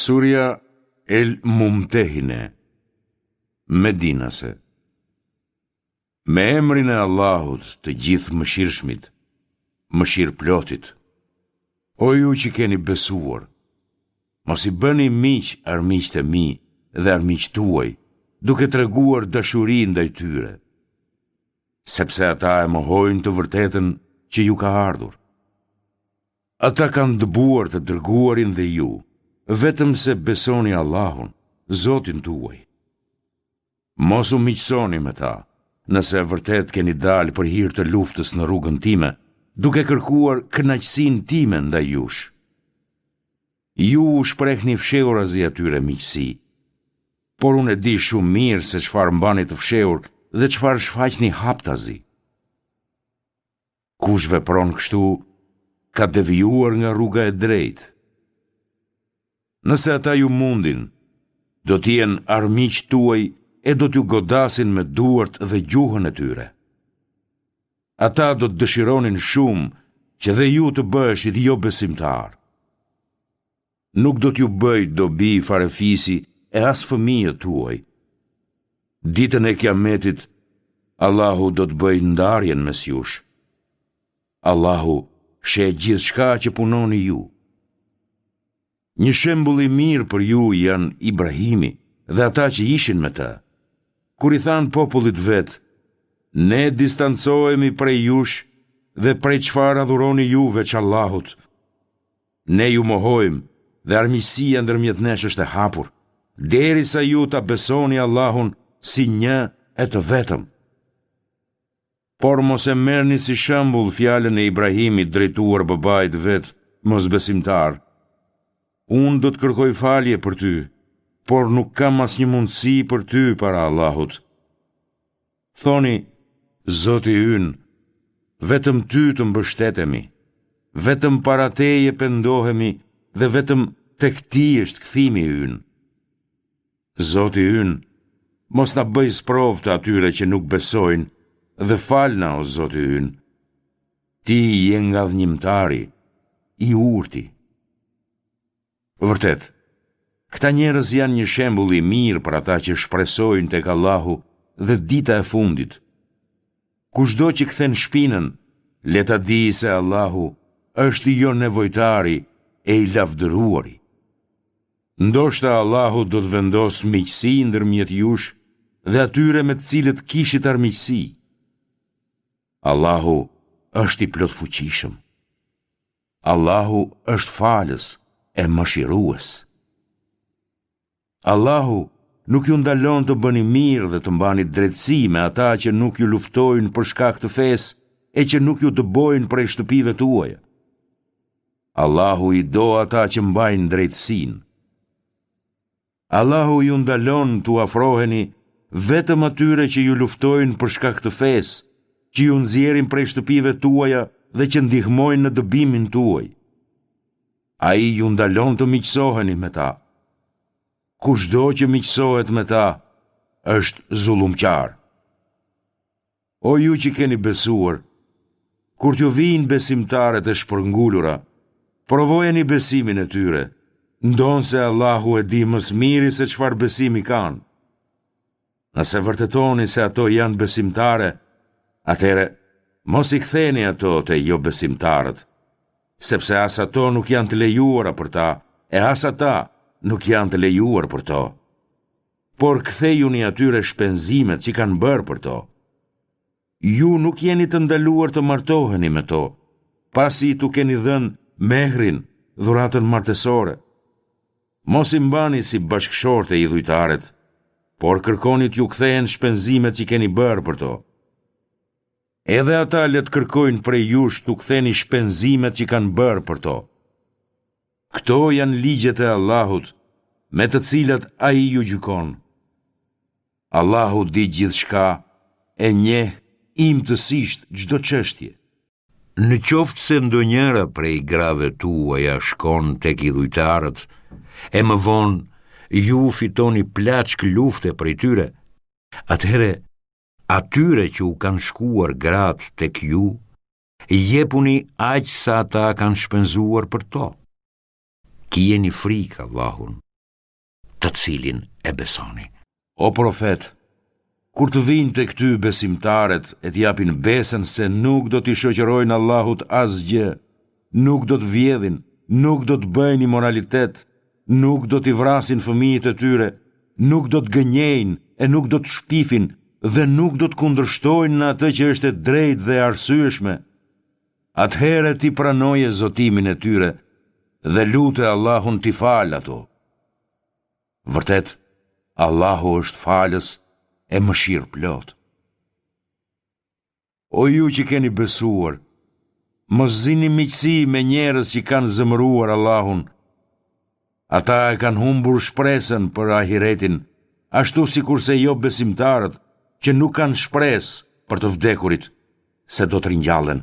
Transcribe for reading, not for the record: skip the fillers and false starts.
Surja El Mumtehine, Medinase Me emrin e Allahut të Gjithëmëshirshmit, mëshirëplotit. O ju që keni besuar, mos i bëni miq armiqtë e mi dhe armiqtë tuaj, duke treguar dashuri ndaj tyre, sepse ata e mohojnë të vërtetën që ju ka ardhur. Ata kanë dëbuar të dërguarin dhe ju, vetëm se besoni Allahun, Zotin tuaj. Mos u miqësoni me ta, nëse vërtet keni dalë për hir të luftës në rrugën time, duke kërkuar kënaqësinë time ndaj jush. Ju u shprehni fshehurazi atyre miqësi, por unë e di shumë mirë se çfarë mbani të fshehur dhe çfarë shfaqni haptazi. Kush vepron kështu, ka devijuar nga rruga e drejtë. Nëse ata ju mundin, do të jenë armiqtë tuaj e do t'ju godasin me duart dhe gjuhën e tyre. Ata do të dëshironin shumë që dhe ju të bëheshit jobesimtarë. Nuk do t'ju bëjë dobi farefisi e as fëmijët tuaj. Ditën e Kiametit, Allahu do të bëjë ndarjen mes jush. Allahu sheh gjithçka që punoni ju. Një shembull i mirë për ju janë Ibrahimi dhe ata që ishin me të. Kur i thanë popullit vet, ne distancohemi prej jush dhe prej çfarë adhuroni ju veç Allahut, Ne ju mohojmë dhe armiqësia ndërmjet nesh është e hapur, derisa ju ta besoni Allahun si një e të vetëm. Por mos e merrni si shembull fjalën e Ibrahimit drejtuar babait vet mosbesimtar. Unë do të kërkoj falje për ty, por nuk kam asnjë mundësi për ty para Allahut. Thoni, Zoti ynë, vetëm ty të mbështetemi, vetëm para teje pendohemi dhe vetëm tek ti është kthimi ynë. Zoti ynë, mos na bëj sprovë të atyre që nuk besojnë dhe falna o Zoti ynë. Ti je ngadhënjimtari, i urti. Vërtet, këta njerëz janë një shembull i mirë për ata që shpresojnë tek Allahu dhe dita e fundit. Kushdo që kthen shpinën, le ta dijë se Allahu është jonevojtari e i lavdëruari. Ndoshta Allahu do të vendosë miqësi ndërmjet jush dhe atyre me të cilët kishit armiqësi. Allahu është i plotfuqishëm. Allahu është falës e mëshirues. Allahu nuk ju ndalon të bëni mirë dhe të mbani drejtësi me ata që nuk ju luftojnë për shkak të fesë e që nuk ju dëbojnë prej shtëpive tuaja. Allahu i do ata që mbajnë drejtësinë. Allahu ju ndalon t'u afroheni vetëm atyre që ju luftojnë për shkak të fesë, që ju nxjerrin prej shtëpive tuaja dhe që ndihmojnë në dëbimin tuaj. Ai ju ndalon të miqësoheni me ta. Kushdo që miqësohet me ta, është zullumqar. O ju që keni besuar, kur t'ju vijnë besimtaret e shpërngulura, provojeni besimin e tyre, ndonëse Allahu e di më së miri se çfarë besimi kanë. Nëse vërtetoni se ato janë besimtare, atëherë mos i ktheni ato te jobesimtarët, sepse as ato nuk janë të lejuara për ta, e as ata nuk janë të lejuar për to. por kthejuni atyre shpenzimet që kanë bërë për to. Ju nuk jeni të ndaluar të martoheni me to, pasi t'u keni dhënë mehrin, dhuratën martesore. Mos i mbani si bashkëshorte idhujtaret, por kërkoni t'ju kthehen shpenzimet që keni bërë për to. Edhe ata le të kërkojnë prej jush t'u ktheni shpenzimet që kanë bërë për to. Këto janë ligjet e Allahut, me të cilat Ai ju gjykon. Allahu di gjithçka e njeh imtësisht çdo çështje. Në qoftë se ndonjëra prej grave tuaja shkon tek idhujtarët, e më vonë ju fitoni plaçkë lufte prej tyre, atëherë atyre që u kanë shkuar gratë tek ju, jepuni aq sa ata kanë shpenzuar për to. Kijeni frikë Allahun. të cilin e besoni. O profet, kur të vijnë tek ty besimtaret e të japin besën se nuk do t'i shoqërojnë Allahut asgjë, nuk do të vjedhin, nuk do të bëjnë imoralitet, nuk do t'i vrasin fëmijët e tyre, nuk do të gënjejnë e nuk do të shpifin dhe nuk do të kundërshtojnë në atë që është e drejtë dhe e arsyeshme, atëherë ti pranoje zotimin e tyre dhe lute Allahun t'i falë ato. Vërtet, Allahu është falës e mëshirëplotë. O ju që keni besuar, mos zini miqësi me njerëz që kanë zemëruar Allahun. Ata e kanë humbur shpresën për ahiretin, ashtu sikurse jobesimtarët që nuk kanë shpresë për të vdekurit, se do të ringjallen.